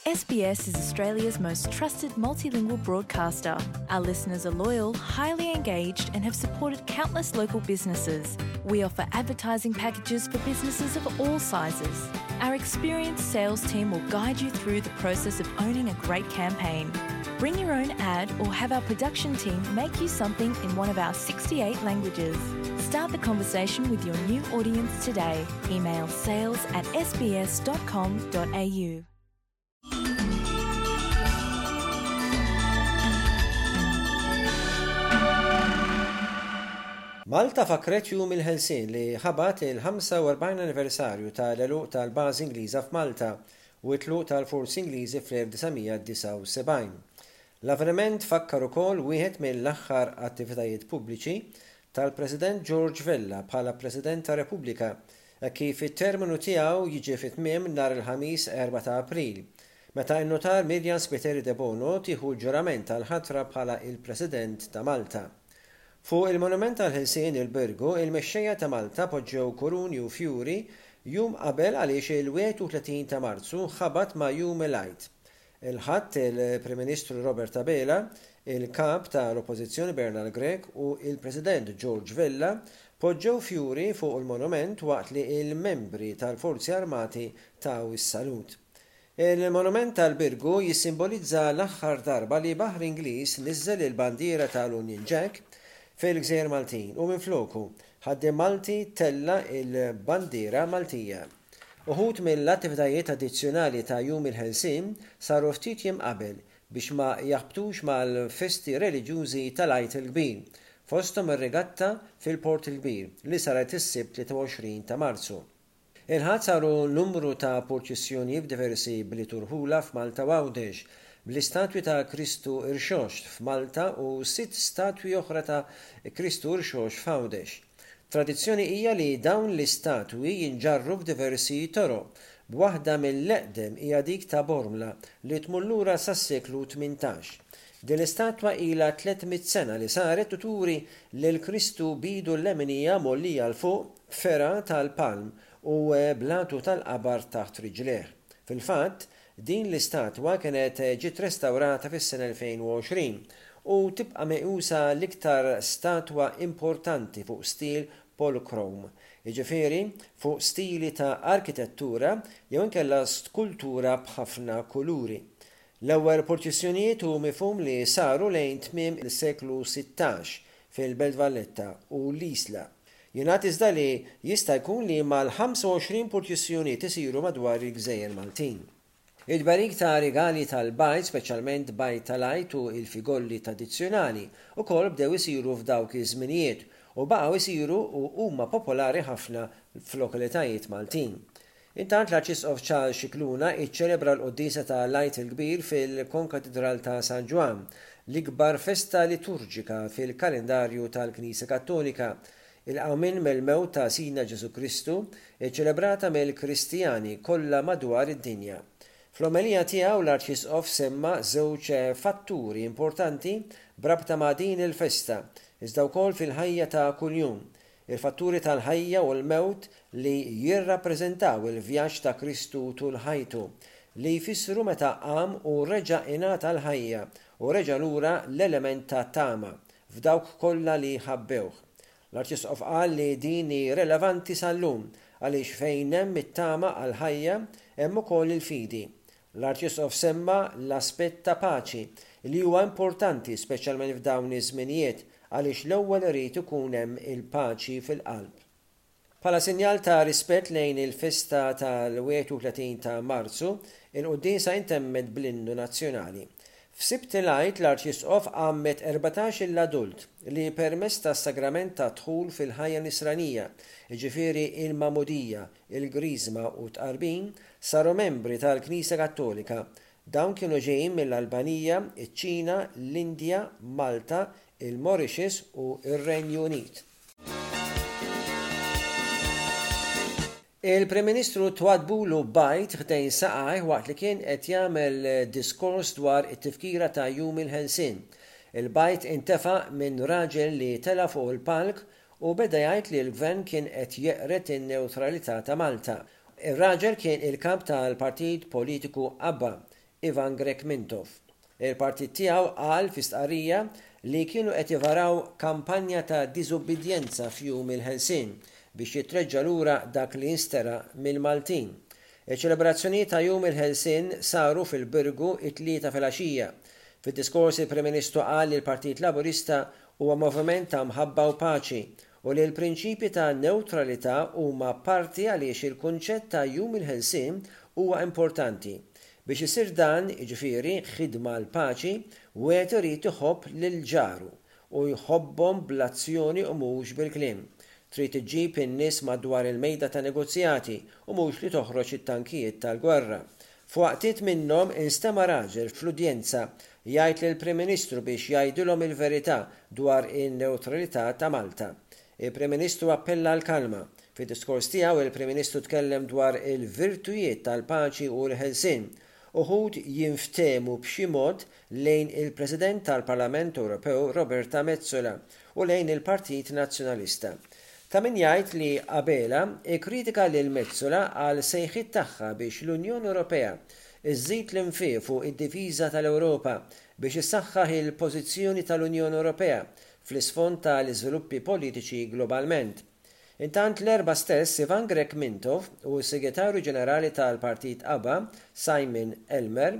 SBS is Australia's most trusted multilingual broadcaster. Our listeners are loyal, highly engaged, and have supported countless local businesses. We offer advertising packages for businesses of all sizes. Our experienced sales team will guide you through the process of owning a great campaign. Bring your own ad or have our production team make you something in one of our 68 languages. Start the conversation with your new audience today. Email sales at sbs.com.au. Malta fakkret Jum il-Ħelsien li ħabat il-45 anniversarju tal-għeluq tal-bażi Ingliża f'Malta u t-tluq tal-forzi Ingliżi fl-1979. L-avveniment fakkar ukoll wieħed mill-aħħar attivitajiet pubbliċi tal-President George Vella bħala President tar-Repubblika hekk kif it-terminu tiegħu jiġi fi tmiem nhar il-Ħamis 4 ta' April, meta n-Nutar Myriam Spiteri Debono tieħu l-ġurament għall-ħatra bħala il-President ta' Malta. Fuq il-Monument għall-Ħelsien il-Birgu, il-mexxejja ta' Malta poġġew kuruni u fjuri jum qabel għaliex il-31 ta' Marzu ħabat ma' Jum il-Għid. Il-Ħadd, il-Prim Ministru Robert Abela, il-Kap ta' l-Oppożizzjoni Bernard Grech u il-President George Vella poġġew fjuri fuq il-monument waqt li il-membri tal-Forzi Armati taw is-salut. Il-monument tal-Birgu jissimbolizza l-aħħar darba li baħar Ingliż niżżel il-bandiera tal-Union Jack fil-gżejjer Maltin u minfloku, ħaddiem Malti tella' il-bandiera Maltija. Uħud mill-attivitajiet addizzjonali ta' Jum il-Ħelsien saru ftit jiem qabel biex ma jaħbtux mal-festi reliġjużi tal-Għid il-Kbir, fosthom ir-Regatta fil-Port il-Kbir li saret is-Sibt 23 ta' Marzu. Il-Ħadd saru numru ta' purċissjonijiet f'diversi bliet u rħula f'Malta u Għawdex, bl-istatwi ta' Kristu Rxoxt f'Malta u sitt statwi oħra ta' Kristu Rxoxt f'Għawdex. Tradizzjoni hija li dawn l-istatwi jinġarru f'diversi toroq, b'waħda mill-eqdem hija dik ta' Bormla li tmur lura sas-seklu 18. Din l-istatwa ilha 300 sena li saret u turi lil Kristu b'idu l-leminija mgħollija 'l fuq b'fergħa tal-palm u bl-għatu tal-qabar taħt riġlejh. Fil-fatt, Din l-istatwa kienet ġiet restawrata fis-sena 2020 u tibqa' meqjusa l-iktar statwa importanti fuq stil polychrome, jiġifieri fuq stili ta' arkitettura jew inkella skultura b'ħafna kuluri. L-ewwel purċissjonijiet hu mifhum li saru lejn tmiem is-seklu 16 fil-Belt Valletta u l-Isla. Jingħad iżda li jista' jkun li mal-25 purċissjonijiet isiru madwar il-gżejjer Maltin. It-tberik ta' rigali tal-bajd, speċjalment bajd tal-Għid u l-figolli tradizzjonali, ukoll bdew isiru f'dawk iż-żminijiet u baqgħu jsiru u huma popolari ħafna f'lokalitajiet Maltin. Intant l-Arċisqof Charles Scicluna iċċelebra l-quddiesa ta' l-Għid il-Kbir fil-Konkatidral ta' San Ġwann, l-ikbar festa liturġika fil-kalendarju tal-Knisja Kattolika, il-qawmien mill-mewt ta' Sidna Ġesù Kristu, iċċelebrata mill-Kristjani kollha madwar id-dinja. Fl-omelija tiegħu l-Arċisqof semma żewġ fatturi importanti b'rabta ma' din il-festa, iżda wkoll fil-ħajja ta' kuljum, Il-fatturi tal-ħajja u l-mewt li jirrappreżentaw il-vjaġġ ta' Kristu tul ħajtu, li jfissru meta qam u reġa' ingħata l-ħajja u reġa' lura l-element ta' tama f'dawk kollha li ħabbewh. L-Arċisqof qal li din hi relevanti sal-lum għaliex fejn hemm it-tama għall-ħajja hemm ukoll il-fidi. L-Arċisqof semma l-aspett ta' paċi li huwa importanti speċjalment f'dawn iż-żminijiet għaliex l-ewwel irid ikun hemm il-paċi fil-qalb. Bħala sinjal ta' rispett lejn il-festa tal-31 ta' Marzu, il-quddiesa intemmet bl-innu nazzjonali. F'Sibt il-Għid l-Arċisqof għammed 14-il adult li permezz tas-sagrament tad-dħul fil-ħajja nisranija, jiġifieri il-magħmudija, il-Griżma u t-Tqarbin, saru membri tal-Knisja Kattolika. Dawn kienu ġejjin mill-Albanija, iċ-Ċina, l-Indja, Malta, il-Mauritius u r-Renju Unit. Il-Prim Ministru twaddbulu b'bajd ħdejn saqajh waqt li kien qed jagħmel diskors dwar it-tifkira ta' Jum il-Ħelsien. Il-bajd intefa' minn raġel li tela' fuq il-palk u beda jgħid li l-Gvern kien qed jeqred in-newtralità ta' Malta. Ir-raġel kien il-kap tal-partit politiku ABBA. Ivan Grech Mintoff. Il-partit tiegħu qal fi stqarrija li kienu qed ivaraw kampanja ta' diżubbidjenza f'Jum il-Ħelsien biex jitreġġa' lura dak li nsteraq mill-Maltin. Iċ-ċelebrazzjonijiet ta' Jum il-Ħelsien saru fil-Birgu it-Tlieta filgħaxija. Fid-diskors il-Prim Ministru qal li l-Partit Laburista huwa moviment ta' mħabba u paċi u li l-prinċipji ta' newtralità huma parti għaliex il-kunċett ta' Jum il-Ħelsien huwa importanti. Biex isir dan, jiġifieri, ħidma għall-paċi, wieħed irid iħobb lil ġaru u jħobbhom bl-azzjoni u mhux bil-kliem. Trid iġġib in-nies madwar il-mejda ta' negozjati u mhux li toħroġ it-tankijiet tal-gwerra. F'waqtiet minnhom instema' raġel fl-udjenza jgħid lill-Prim Ministru biex jgħidilhom il-verità dwar in-newtralità ta' Malta. Il-Prim Ministru appella għall-kalma. Fid-diskors tiegħu il-Prim Ministru tkellem dwar il-virtujiet tal-paċi u l-ħelsien. Uħud jinftehmu b'xi mod lejn il-President tal-Parlament Ewropew Roberta Metsola u lejn il-Partit Nazzjonalista. Ta' min jgħid li Abela kkritika lil Metsola għal sejħiet tagħha biex l-Unjoni Ewropea żżid l-infiq fuq id-difiża tal-Ewropa biex issaħħaħ il-pożizzjoni tal-Unjoni Ewropea fl-isfond ta' l-iżviluppi politiċi globalment. Intant l-Erbgħa stess Ivan Grech Mintoff u s-Segretarju Ġenerali tal-Partit ABBA Simon Elmer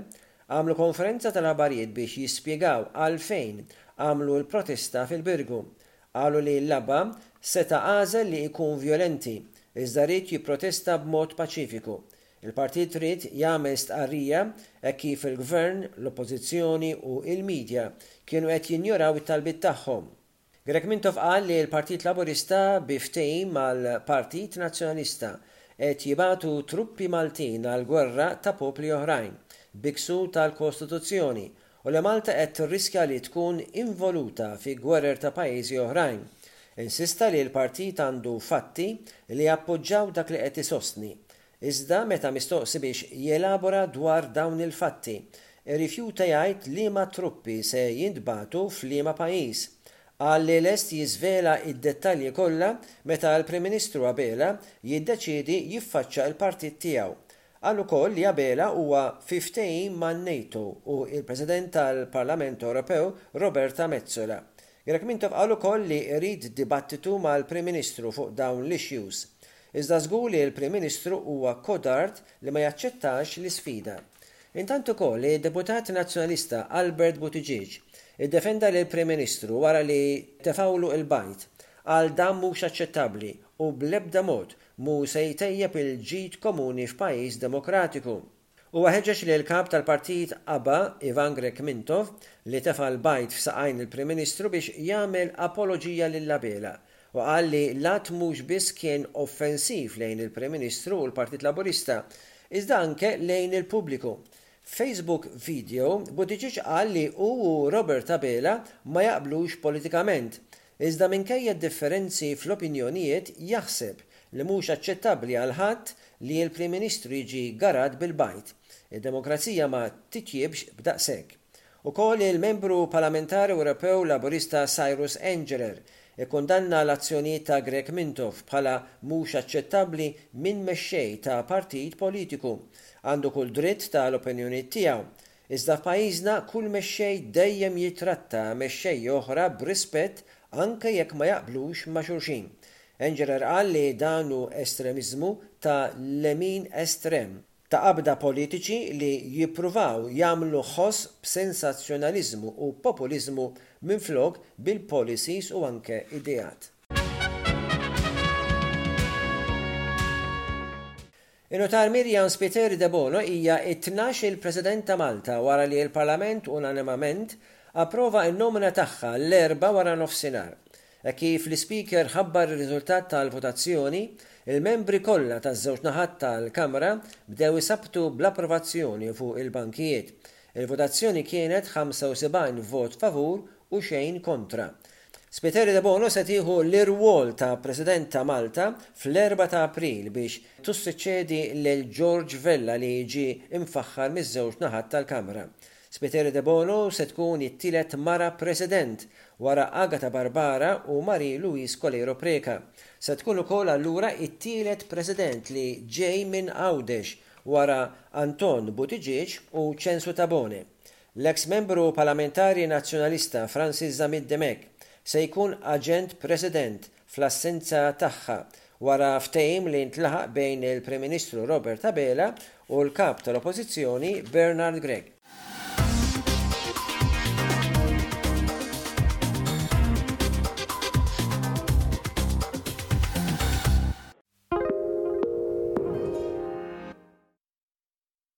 għamlu konferenza tal-aħbarijiet biex jispjegaw għalfejn għamlu l-protesta fil-Birgu. Qalu li l-ABBA seta' għażel li jkun vjolenti, iżda ried jipprotesta b'mod paċifiku. Il-partit ried jagħmel stqarrija hekk kif il-Gvern, l-Oppożizzjoni u l-media kienu qed jinjoraw it-talbiet tagħhom. Grech Mintoff qal li l-Partit Laburista bi ftehim mal-Partit Nazzjonalista qed jibagħtu truppi Maltin għal gwerra ta' popli oħrajn bi ksur tal-Kostituzzjoni u li Malta qed tirriskja li tkun involuta fi gwerer ta' pajjiżi oħrajn. Insista li l-partit għandu fatti li jappoġġaw dak li qed isostni. Iżda meta mistoqsi biex jelabora dwar dawn il-fatti, irrifjuta jgħid liema truppi se jintbagħtu f'liema pajjiż. Qal li lest jiżvela d-dettalji kollha meta l-Prim Ministru Abela jiddeċiedi jiffaċċa l-partit tiegħu. Qal ukoll li Abela huwa fi ftehim man-NATO u l-President tal-Parlament Ewropew Roberta Metsola. Grech Mintoff qal ukoll li jrid dibattitu mal-Prim Ministru fuq dawn l-issues. Iżda żgur li l-Prim Ministru huwa kodard li ma jaċċettax l-isfida. Intant ukoll id-Deputat Nazzjonalista Albert Buttigieg iddefenda lill-Prim Ministru wara li tefgħulu l-bajd. Qal dan mhux aċċettabbli u bl-ebda mod mhu se jtejjeb il-ġid komuni f'pajjiż demokratiku. Huwa ħeġġeġ lill-Kap tal-Partit ABBA, Ivan Grech Mintoff, li tefa' l-bajd f'saqajn il-Prim Ministru biex jagħmel apoloġija lil Abela u qal li l-att mhux biss kien offensiv lejn il-Prim Ministru u l-Partit Laburista, iżda anke lejn il-pubbliku. F'Facebook video, Buttigieg qal li hu u Robert Abela ma jaqblux politikament, Iżda minkejja d-differenzi fl-opinjonijiet jaħseb li mhux aċċettabbli għal ħadd li l-Prim Ministru jiġi garat bil-bajd. Id-demokrazija ma titjiebx b'daqshekk. Ukoll il-Membru Parlamentari Ewropew Laburista Cyrus Engerer ikkundanna l-azzjonijiet ta' Grech Mintoff bħala mhux aċċettabbli minn mexxej ta' partit politiku. Għandu kull dritt ta' l-opinjonijiet tiegħu. Iżda f'pajjiżna kull mexxej dejjem jittratta mexxejja oħra b'rispett anke jekk ma jaqblux ma' xulxin. Engerer qal li dan hu estremiżmu ta' lemin estrem, ta' qabda politiċi li jippruvaw jagħmlu ħoss b'sensazzjonaliżmu u populiżmu minflok bil-policies u anke ideat. In-Nutar Myriam Spiteri Debono hija t-tnax-il President ta' Malta wara li l-Parlament unanimament approva n-nomina tagħha l-Erbgħa waranofsinhar. Hekk kif l-Ispeaker ħabbar ir-riżultat tal-votazzjoni, il-membri kollha taż-żewġ naħat tal-Kamra bdew isabbtu bl-approvazzjoni fuq il-bankijiet. Il-votazzjoni kienet 75 vot favur u xejn kontra. Spiteri Debono se tieħu l-irwol ta' President ta' Malta fl-erbgħa ta' April biex tussuċċedi lil George Vella li ġie mfaħħar miż-żewġ naħat tal-Kamra. Spiteri Debono se tkun it-tielet mara President wara Agatha Barbara u Marie Louise Coleiro Preca. Se tkun ukoll allura it-tielet President li ġej minn Għawdex. wara Anton Buttigieg u Ċensu Tabone. L-eks Membru Parlamentari Nazzjonalista Francis Zammit Dimech se jkun Aġent President fl-assenza tagħha wara ftehim li ntlaħaq bejn il-Prim Ministru Robert Abela u l-Kap tal-Oppożizzjoni Bernard Grech.